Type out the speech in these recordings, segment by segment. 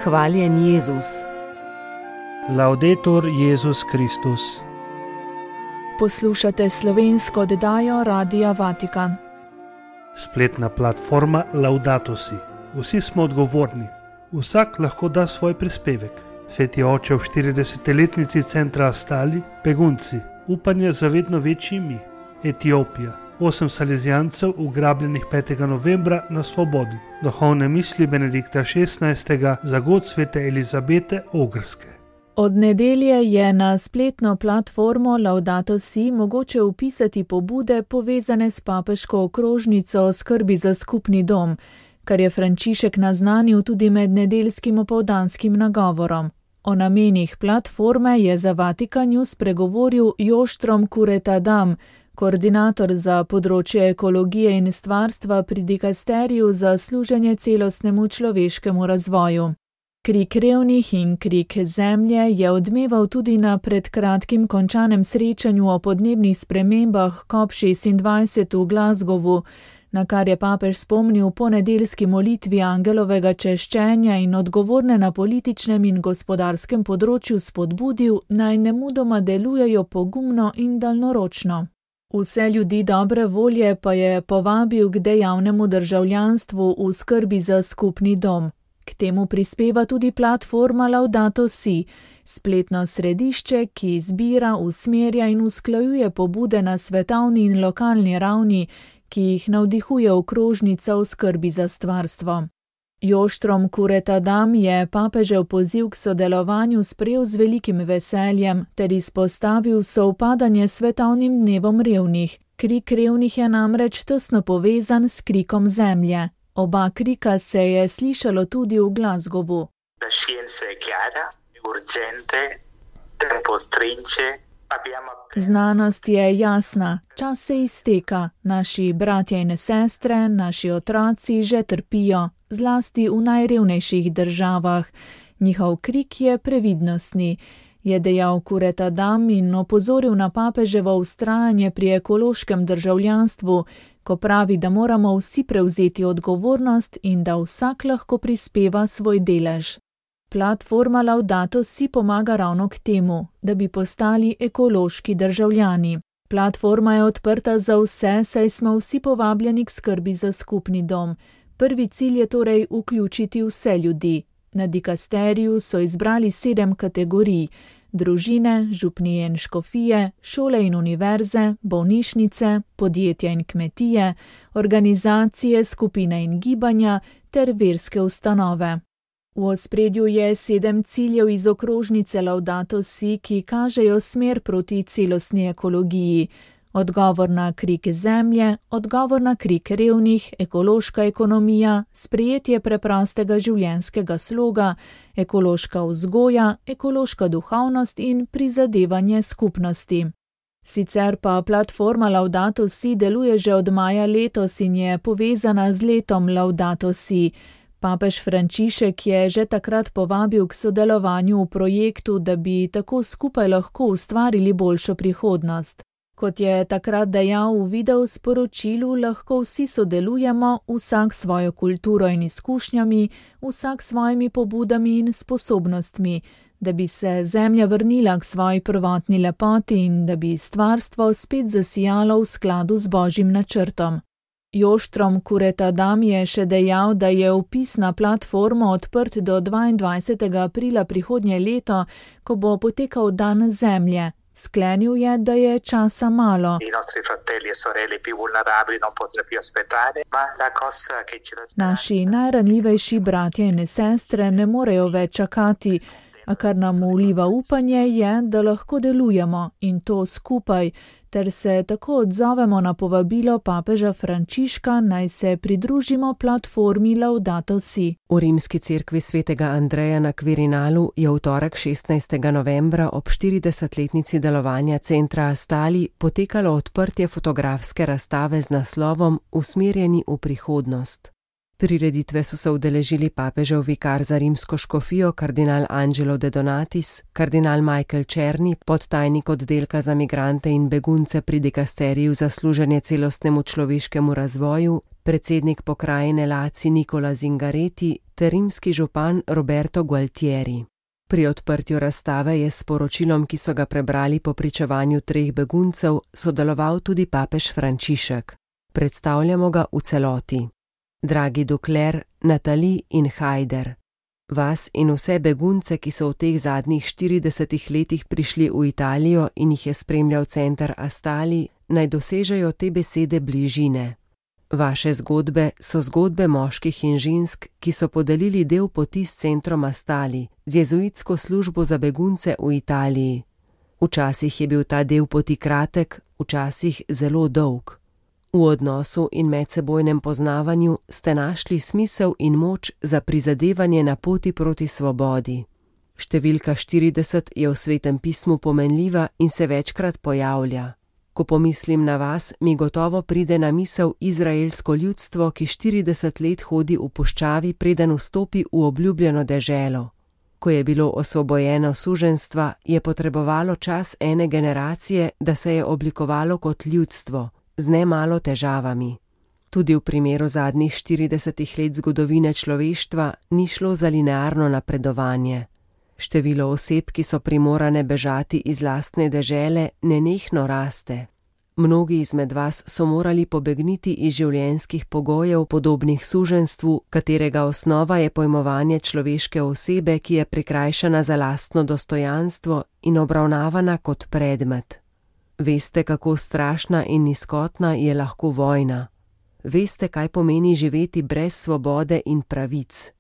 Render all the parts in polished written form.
Hvaljen Jezus. Laudetur Jezus Kristus. Poslušate slovensko oddajo Radia Vatikan. Spletna platforma Laudato Si. Vsi smo odgovorni. Vsak lahko da svoj prispevek. Sveti oče ob 40-letnici centra Astali, begunci, upanje za vedno večji mi. Etiopija, 8 salezijancev ugrabljenih 5. novembra na svobodi. Duhovne misli Benedikta XVI za god svete Elizabete Ogrske. Od nedelje je na spletno platformo Laudato Si mogoče vpisati pobude povezane s papeško okrožnico skrbi za skupni dom, kar je Frančišek naznanil tudi med nedeljskim opoldanskim nagovorom. O namenih platforme je za Vatikan News spregovoril Joštrom Kuretadam, koordinator za področje ekologije in stvarstva pri dikasteriju za služenje celostnemu človeškemu razvoju. Krik revnih in krik zemlje je odmeval tudi na pred kratkim končanem srečanju o podnebnih spremembah COP26 v Glasgowu, na kar je papež spomnil po nedeljski molitvi angelovega češčenja in odgovorne na političnem in gospodarskem področju spodbudil, naj nemudoma delujejo pogumno in daljnoročno. Vse ljudi dobre volje pa je povabil k dejavnemu državljanstvu v skrbi za skupni dom. K temu prispeva tudi platforma Laudato Si, spletno središče, ki zbira, usmerja in usklajuje pobude na svetovni in lokalni ravni, ki jih navdihuje okrožnica v skrbi za stvarstvo. Joštrom Kuretadam je papežev poziv k sodelovanju sprejel z velikim veseljem ter izpostavil sovpadanje s svetovnim dnevom revnih. Krik revnih je namreč tesno povezan s krikom zemlje. Oba krika se je slišalo tudi v Glasgowu. La scienza è chiara, urgente, tempo stringe. Znanost je jasna, čas se izteka, naši bratje in sestre, naši otroci že trpijo, zlasti v najrevnejših državah. Njihov krik je previdnostni, je dejal Kuretadam in opozoril na papeževo vztrajanje pri ekološkem državljanstvu, ko pravi, da moramo vsi prevzeti odgovornost in da vsak lahko prispeva svoj delež. Platforma Laudato Si pomaga ravno k temu, da bi postali ekološki državljani. Platforma je odprta za vse, saj smo vsi povabljeni k skrbi za skupni dom. Prvi cilj je torej vključiti vse ljudi. Na dikasteriju so izbrali 7 kategorij: družine, župnije in škofije, šole in univerze, bolnišnice, podjetja in kmetije, organizacije, skupine in gibanja ter verske ustanove. V ospredju je 7 ciljev iz okrožnice Laudato Si, ki kažejo smer proti celostni ekologiji. Odgovor na krik zemlje, odgovor na krik revnih, ekološka ekonomija, sprejetje preprostega življenjskega sloga, ekološka vzgoja, ekološka duhovnost in prizadevanje skupnosti. Sicer pa platforma Laudato Si deluje že od maja letos in je povezana z letom Laudato Si. Papež Frančišek je že takrat povabil k sodelovanju v projektu, da bi tako skupaj lahko ustvarili boljšo prihodnost. Kot je takrat dejal v video sporočilu, lahko vsi sodelujemo, vsak svojo kulturo in izkušnjami, vsak svojimi pobudami in sposobnostmi, da bi se zemlja vrnila k svoji prvotni lepoti in da bi stvarstvo spet zasijalo v skladu z Božjim načrtom. Joštrom Kuretadam je še dejal, da je vpis na platformo odprt do 22. aprila prihodnje leto, ko bo potekal dan zemlje. Sklenil je, da je časa malo. Naši najranljivejši bratje in sestre ne morejo več čakati, a kar nam vliva upanje je, da lahko delujemo in to skupaj, ter se tako odzovemo na povabilo papeža Frančiška, naj se pridružimo platformi Laudato Si. V rimski cerkvi svetega Andreja na Quirinalu je v torek 16. novembra ob 40-letnici delovanja centra Astali potekalo odprtje fotografske razstave z naslovom Usmerjeni v prihodnost. Prireditve so se udeležili papežev vikar za rimsko škofijo kardinal Angelo De Donatis, kardinal Michael Černi, podtajnik oddelka za migrante in begunce pri dikasteriju za služenje celostnemu človeškemu razvoju, predsednik pokrajine Laci Nikola Zingareti ter rimski župan Roberto Gualtieri. Pri odprtju razstave je s poročilom, ki so ga prebrali po pričevanju 3 beguncev, sodeloval tudi papež Frančišek. Predstavljamo ga v celoti. Dragi Ducler, Nathalie in Haider, vas in vse begunce, ki so v teh zadnjih 40 letih prišli v Italijo in jih je spremljal center Astali, naj dosežejo te besede bližine. Vaše zgodbe so zgodbe moških in žensk, ki so podelili del poti s centrom Astali, z jezuitsko službo za begunce v Italiji. Včasih je bil ta del poti kratek, včasih zelo dolg. V odnosu in medsebojnem poznavanju ste našli smisel in moč za prizadevanje na poti proti svobodi. Številka 40 je v Svetem pismu pomenljiva in se večkrat pojavlja. Ko pomislim na vas, mi gotovo pride na misel izraelsko ljudstvo, ki 40 let hodi v puščavi, preden vstopi v obljubljeno deželo. Ko je bilo osvobojeno suženjstva, je potrebovalo čas ene generacije, da se je oblikovalo kot ljudstvo, z nemalo težavami. Tudi v primeru zadnjih 40 let zgodovine človeštva ni šlo za linearno napredovanje. Število oseb, ki so primorane bežati iz lastne dežele, nenehno raste. Mnogi izmed vas so morali pobegniti iz življenjskih pogojev podobnih suženjstvu, katerega osnova je pojmovanje človeške osebe, ki je prikrajšana za lastno dostojanstvo in obravnavana kot predmet. Veste, kako strašna in nizkotna je lahko vojna. Veste, kaj pomeni živeti brez svobode in pravic.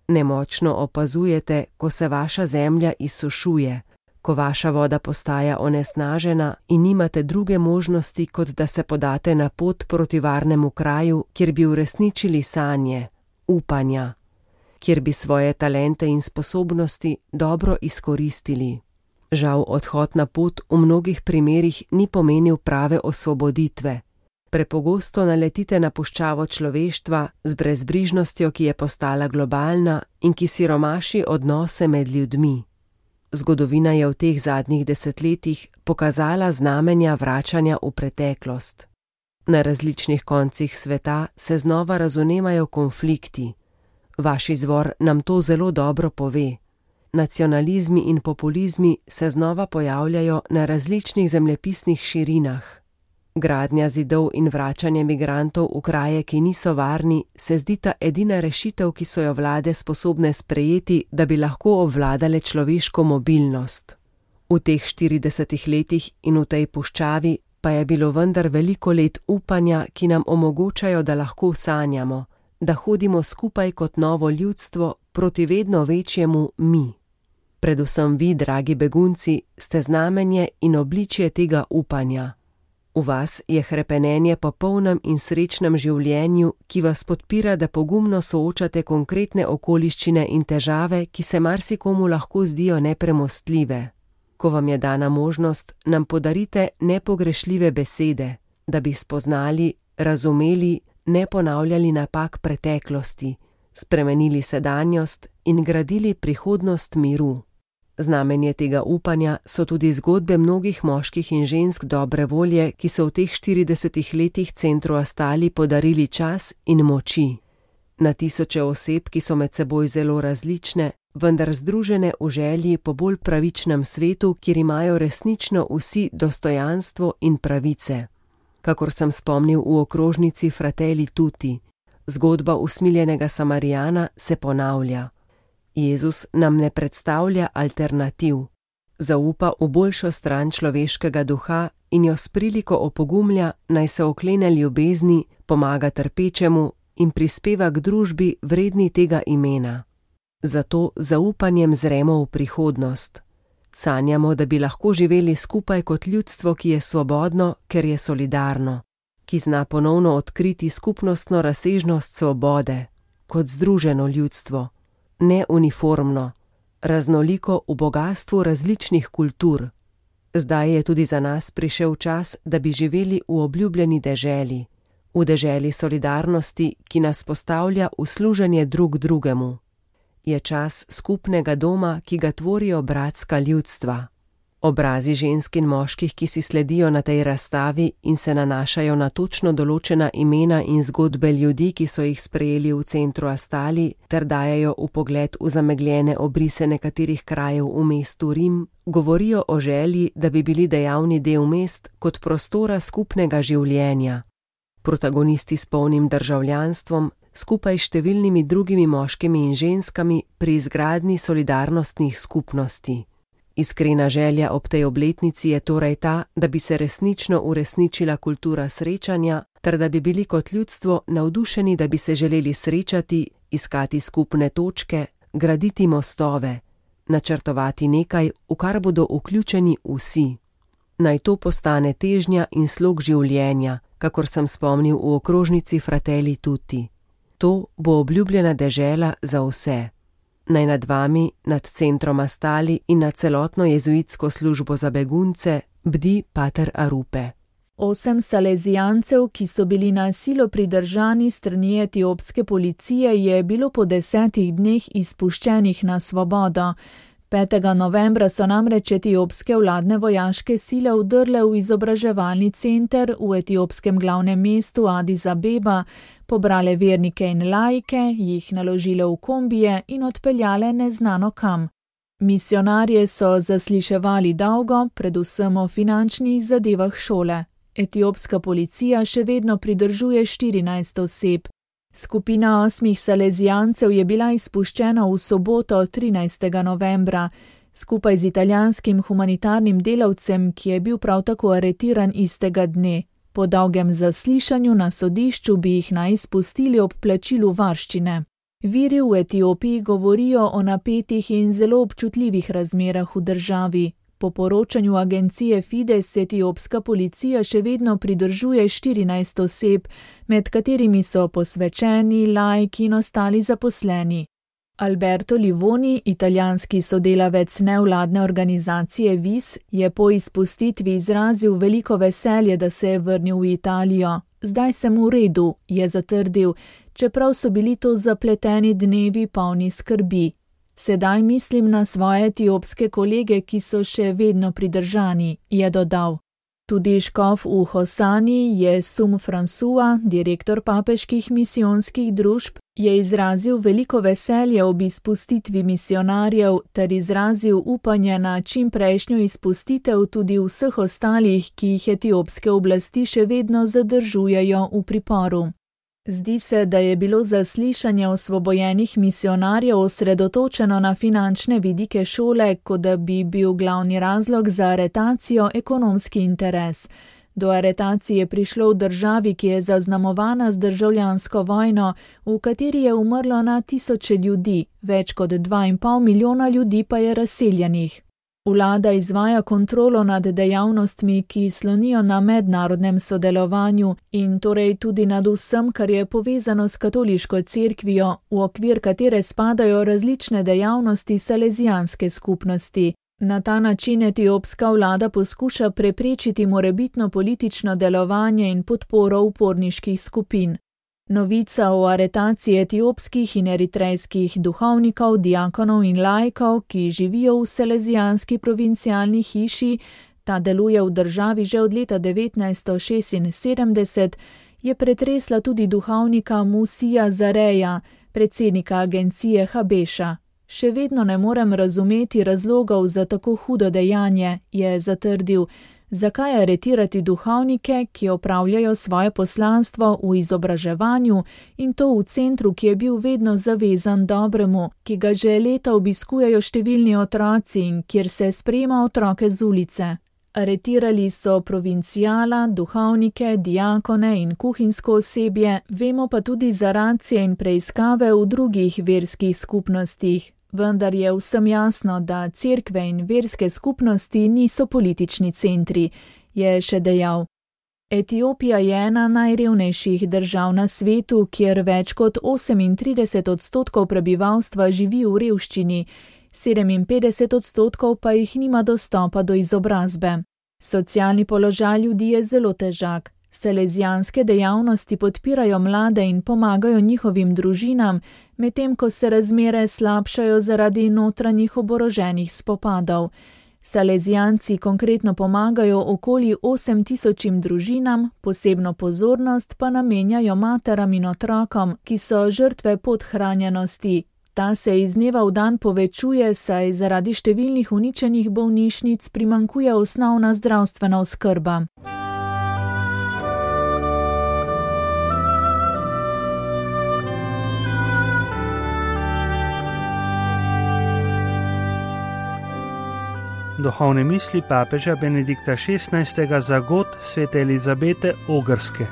Nemočno opazujete, ko se vaša zemlja izsušuje, ko vaša voda postaja onesnažena in nimate druge možnosti, kot da se podate na pot proti varnemu kraju, kjer bi uresničili sanje, upanja, kjer bi svoje talente in sposobnosti dobro izkoristili. Žal odhod na pot v mnogih primerih ni pomenil prave osvoboditve. Prepogosto naletite na puščavo človeštva z brezbrižnostjo, ki je postala globalna in ki siromaši odnose med ljudmi. Zgodovina je v teh zadnjih desetletjih pokazala znamenja vračanja v preteklost. Na različnih koncih sveta se znova razvnemajo konflikti. Vaš izvor nam to zelo dobro pove. Nacionalizmi in populizmi se znova pojavljajo na različnih zemljepisnih širinah. Gradnja zidov in vračanje migrantov v kraje, ki niso varni, se zdita edina rešitev, ki so jo vlade sposobne sprejeti, da bi lahko obvladale človeško mobilnost. V teh 40 letih in v tej puščavi pa je bilo vendar veliko let upanja, ki nam omogočajo, da lahko sanjamo, da hodimo skupaj kot novo ljudstvo proti vedno večjemu mi. Predvsem vi, dragi begunci, ste znamenje in obličje tega upanja. V vas je hrepenenje po polnem in srečnem življenju, ki vas podpira, da pogumno soočate konkretne okoliščine in težave, ki se marsikomu lahko zdijo nepremostljive. Ko vam je dana možnost, nam podarite nepogrešljive besede, da bi spoznali, razumeli, ne ponavljali napak preteklosti, spremenili sedanjost in gradili prihodnost miru. Znamenje tega upanja so tudi zgodbe mnogih moških in žensk dobre volje, ki so v teh 40 letih centru Astali podarili čas in moči. Na tisoče oseb, ki so med seboj zelo različne, vendar združene v želji po bolj pravičnem svetu, kjer imajo resnično vsi dostojanstvo in pravice. Kakor sem spomnil v okrožnici Fratelli Tutti, zgodba usmiljenega Samarijana se ponavlja. Jezus nam ne predstavlja alternativ. Zaupa v boljšo stran človeškega duha in jo s priliko opogumlja, naj se oklene ljubezni, pomaga trpečemu in prispeva k družbi vredni tega imena. Zato zaupanjem zremo v prihodnost. Sanjamo, da bi lahko živeli skupaj kot ljudstvo, ki je svobodno, ker je solidarno, ki zna ponovno odkriti skupnostno razsežnost svobode, kot združeno ljudstvo. Ne uniformno, raznoliko v bogastvu različnih kultur. Zdaj je tudi za nas prišel čas, da bi živeli v obljubljeni deželi, v deželi solidarnosti, ki nas postavlja v služenje drug drugemu. Je čas skupnega doma, ki ga tvorijo bratska ljudstva. Obrazi žensk in moških, ki si sledijo na tej razstavi in se nanašajo na točno določena imena in zgodbe ljudi, ki so jih sprejeli v centru Astali, ter dajejo vpogled v zamegljene obrise nekaterih krajev v mestu Rim, govorijo o želji, da bi bili dejavni del mest kot prostora skupnega življenja. Protagonisti s polnim državljanstvom, skupaj s številnimi drugimi moškimi in ženskami pri izgradnji solidarnostnih skupnosti. Iskrena želja ob tej obletnici je torej ta, da bi se resnično uresničila kultura srečanja, ter da bi bili kot ljudstvo navdušeni, da bi se želeli srečati, iskati skupne točke, graditi mostove, načrtovati nekaj, v kar bodo vključeni vsi. Naj to postane težnja in slog življenja, kakor sem spomnil v okrožnici Fratelli Tutti. To bo obljubljena dežela za vse. Naj nad vami, nad centrom Astali in nad celotno jezuitsko službo za begunce bdi pater Arupe. 8 salezijancev, ki so bili na silo pridržani strani etiopske policije, je bilo po 10 dneh izpuščenih na svobodo. 5. novembra so namreč etiopske vladne vojaške sile vdrle v izobraževalni center v etiopskem glavnem mestu Addis Abeba, pobrale vernike in laike, jih naložile v kombije in odpeljale neznano kam. Misionarje so zasliševali dolgo, predvsem o finančnih zadevah šole. Etiopska policija še vedno pridržuje 14 oseb. Skupina 8 salezijancev je bila izpuščena v soboto 13. novembra, skupaj z italijanskim humanitarnim delavcem, ki je bil prav tako aretiran istega dne. Po dolgem zaslišanju na sodišču bi jih naj izpustili ob plačilu varščine. Viri v Etiopiji govorijo o napetih in zelo občutljivih razmerah v državi. Po poročanju agencije Fides etiopska policija še vedno pridržuje 14 oseb, med katerimi so posvečeni, laiki in ostali zaposleni. Alberto Livoni, italijanski sodelavec nevladne organizacije VIS, je po izpustitvi izrazil veliko veselje, da se je vrnil v Italijo. Zdaj sem v redu, je zatrdil, čeprav so bili to zapleteni dnevi polni skrbi. Sedaj mislim na svoje etiopske kolege, ki so še vedno pridržani, je dodal. Tudi škof v Hosani Jesum Fransua, direktor papeških misijonskih družb, je izrazil veliko veselje ob izpustitvi misionarjev ter izrazil upanje na čimprejšnjo izpustitev tudi vseh ostalih, ki jih etiopske oblasti še vedno zadržujejo v priporu. Zdi se, da je bilo zaslišanje osvobojenih misionarjev osredotočeno na finančne vidike šole, kot da bi bil glavni razlog za aretacijo ekonomski interes. Do aretacije je prišlo v državi, ki je zaznamovana z državljansko vojno, v kateri je umrlo na tisoče ljudi, več kot 2,5 milijona ljudi pa je razseljenih. Vlada izvaja kontrolo nad dejavnostmi, ki slonijo na mednarodnem sodelovanju in torej tudi nad vsem, kar je povezano s katoliško cerkvijo, v okvir katere spadajo različne dejavnosti salezijanske skupnosti. Na ta način etiopska vlada poskuša preprečiti morebitno politično delovanje in podporo uporniških skupin. Novica o aretaciji etiopskih in eritrejskih duhovnikov, diakonov in laikov, ki živijo v salezijanski provincialni hiši, ta deluje v državi že od leta 1976, je pretresla tudi duhovnika Musija Zareja, predsednika agencije Habeša. Še vedno ne morem razumeti razlogov za tako hudo dejanje, je zatrdil. Zakaj aretirati duhovnike, ki opravljajo svoje poslanstvo v izobraževanju in to v centru, ki je bil vedno zavezan dobremu, ki ga že leta obiskujejo številni otroci in kjer se sprejema otroke z ulice? Aretirali so provincijala, duhovnike, diakone in kuhinjsko osebje, vemo pa tudi za racije in preiskave v drugih verskih skupnostih. Vendar je vsem jasno, da cerkve in verske skupnosti niso politični centri, je še dejal. Etiopija je ena najrevnejših držav na svetu, kjer več kot 38% prebivalstva živi v revščini, 57% pa jih nima dostopa do izobrazbe. Socialni položaj ljudi je zelo težak. Salezijanske dejavnosti podpirajo mlade in pomagajo njihovim družinam, medtem ko se razmere slabšajo zaradi notranjih oboroženih spopadov. Salezijanci konkretno pomagajo okoli 8.000 družinam, posebno pozornost pa namenjajo materam in otrokom, ki so žrtve podhranjenosti. Ta se iz dneva v dan povečuje, saj zaradi številnih uničenih bolnišnic primanjkuje osnovna zdravstvena oskrba. Duhovne misli papeža Benedikta XVI. Za god svete Elizabete Ogrske.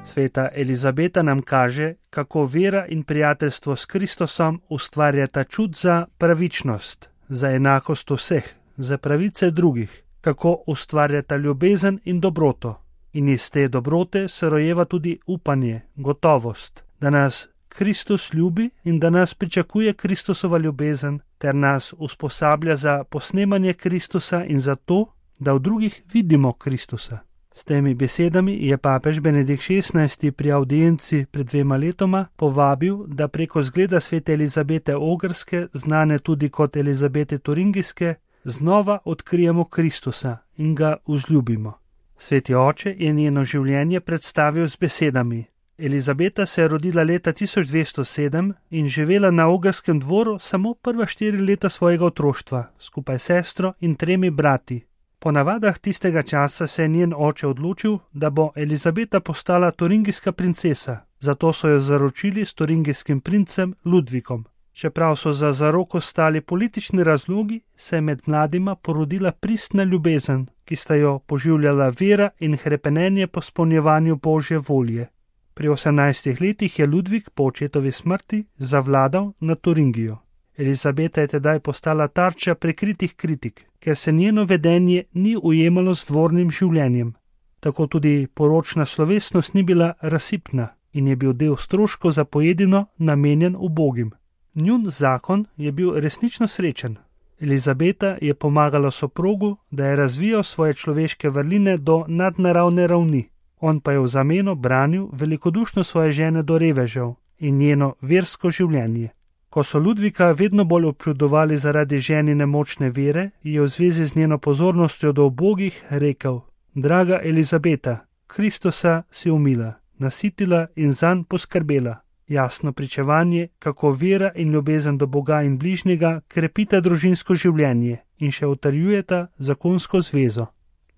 Sveta Elizabeta nam kaže, kako vera in prijateljstvo s Kristusom ustvarjata čut za pravičnost, za enakost vseh, za pravice drugih, kako ustvarjata ljubezen in dobroto. In iz te dobrote se rojeva tudi upanje, gotovost, da nas Kristus ljubi in da nas pričakuje Kristusova ljubezen, ter nas usposablja za posnemanje Kristusa in za to, da v drugih vidimo Kristusa. S temi besedami je papež Benedikt XVI. Pri audienci pred 2 letoma povabil, da preko zgleda svete Elizabete Ogrske, znane tudi kot Elizabete Turingijske, znova odkrijemo Kristusa in ga vzljubimo. Sveti oče je njeno življenje predstavil z besedami: Elizabeta se je rodila leta 1207 in živela na Ogrskem dvoru samo prva 4 leta svojega otroštva, skupaj s sestro in 3 brati. Po navadah tistega časa se je njen oče odločil, da bo Elizabeta postala turingijska princesa, zato so jo zaročili s turingijskim princem Ludvikom. Čeprav so za zaroko stali politični razlogi, se je med mladima porodila pristna ljubezen, ki sta jo poživljala vera in hrepenenje po izpolnjevanju Božje volje. Pri 18 letih je Ludvik po očetovi smrti zavladal nad Turingijo. Elizabeta je tedaj postala tarča prikritih kritik, ker se njeno vedenje ni ujemalo z dvornim življenjem. Tako tudi poročna slovesnost ni bila razsipna in je bil del stroškov za pojedino namenjen ubogim. Njun zakon je bil resnično srečen. Elizabeta je pomagala soprogu, da je razvijal svoje človeške vrline do nadnaravne ravni. On pa je v zameno branil velikodušno svoje žene do revežev in njeno versko življenje. Ko so Ludvika vedno bolj občudovali zaradi ženine močne vere, je v zvezi z njeno pozornostjo do ubogih rekel: Draga Elizabeta, Kristusa si umila, nasitila in zanj poskrbela. Jasno pričevanje, kako vera in ljubezen do Boga in bližnjega krepita družinsko življenje in še utrjujeta zakonsko zvezo.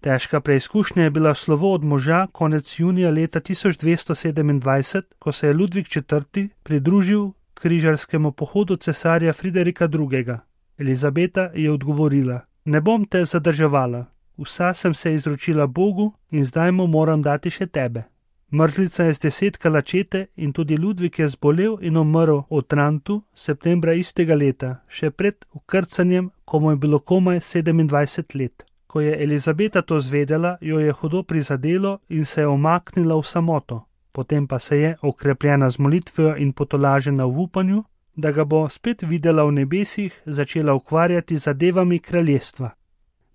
Težka preizkušnja je bila slovo od moža konec junija leta 1227, ko se je Ludvik IV. Pridružil križarskemu pohodu cesarja Friderika II. Elizabeta je odgovorila: Ne bom te zadrževala, vsa sem se izročila Bogu in zdaj mu moram dati še tebe. Mrzlica je zdesetkala čete in tudi Ludvik je zbolel in umrl v Otrantu septembra istega leta, še pred vkrcanjem, ko mu je bilo komaj 27 let. Ko je Elizabeta to zvedela, jo je hudo prizadelo in se je umaknila v samoto. Potem pa se je, okrepljena z molitvijo in potolažena v upanju, da ga bo spet videla v nebesih, začela ukvarjati z zadevami kraljestva.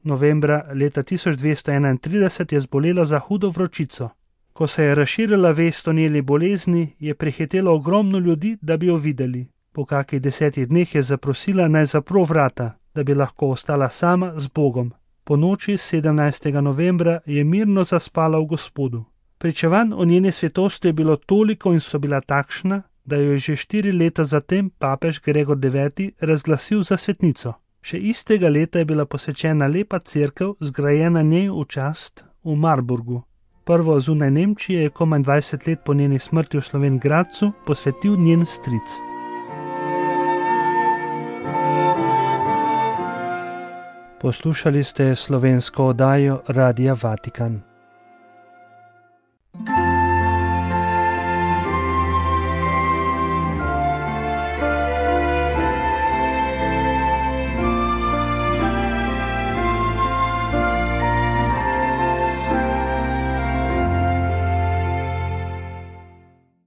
Novembra leta 1231 je zbolela za hudo vročico. Ko se je razširila vest o njeni bolezni, je prihitelo ogromno ljudi, da bi jo videli. Po kakih 10 dneh je zaprosila, naj zapro vrata, da bi lahko ostala sama z Bogom. Po noči 17. novembra je mirno zaspala v Gospodu. Pričevanj o njeni svetosti je bilo toliko in so bila takšna, da jo je že 4 leta zatem papež Gregor IX. Razglasil za svetnico. Še istega leta je bila posvečena lepa cerkev, zgrajena njej v čast v Marburgu. Prvo zunaj Nemčije je komaj 20 let po njeni smrti v Slovenj Gradcu posvetil njen stric. Poslušali ste slovensko oddajo Radia Vatikan.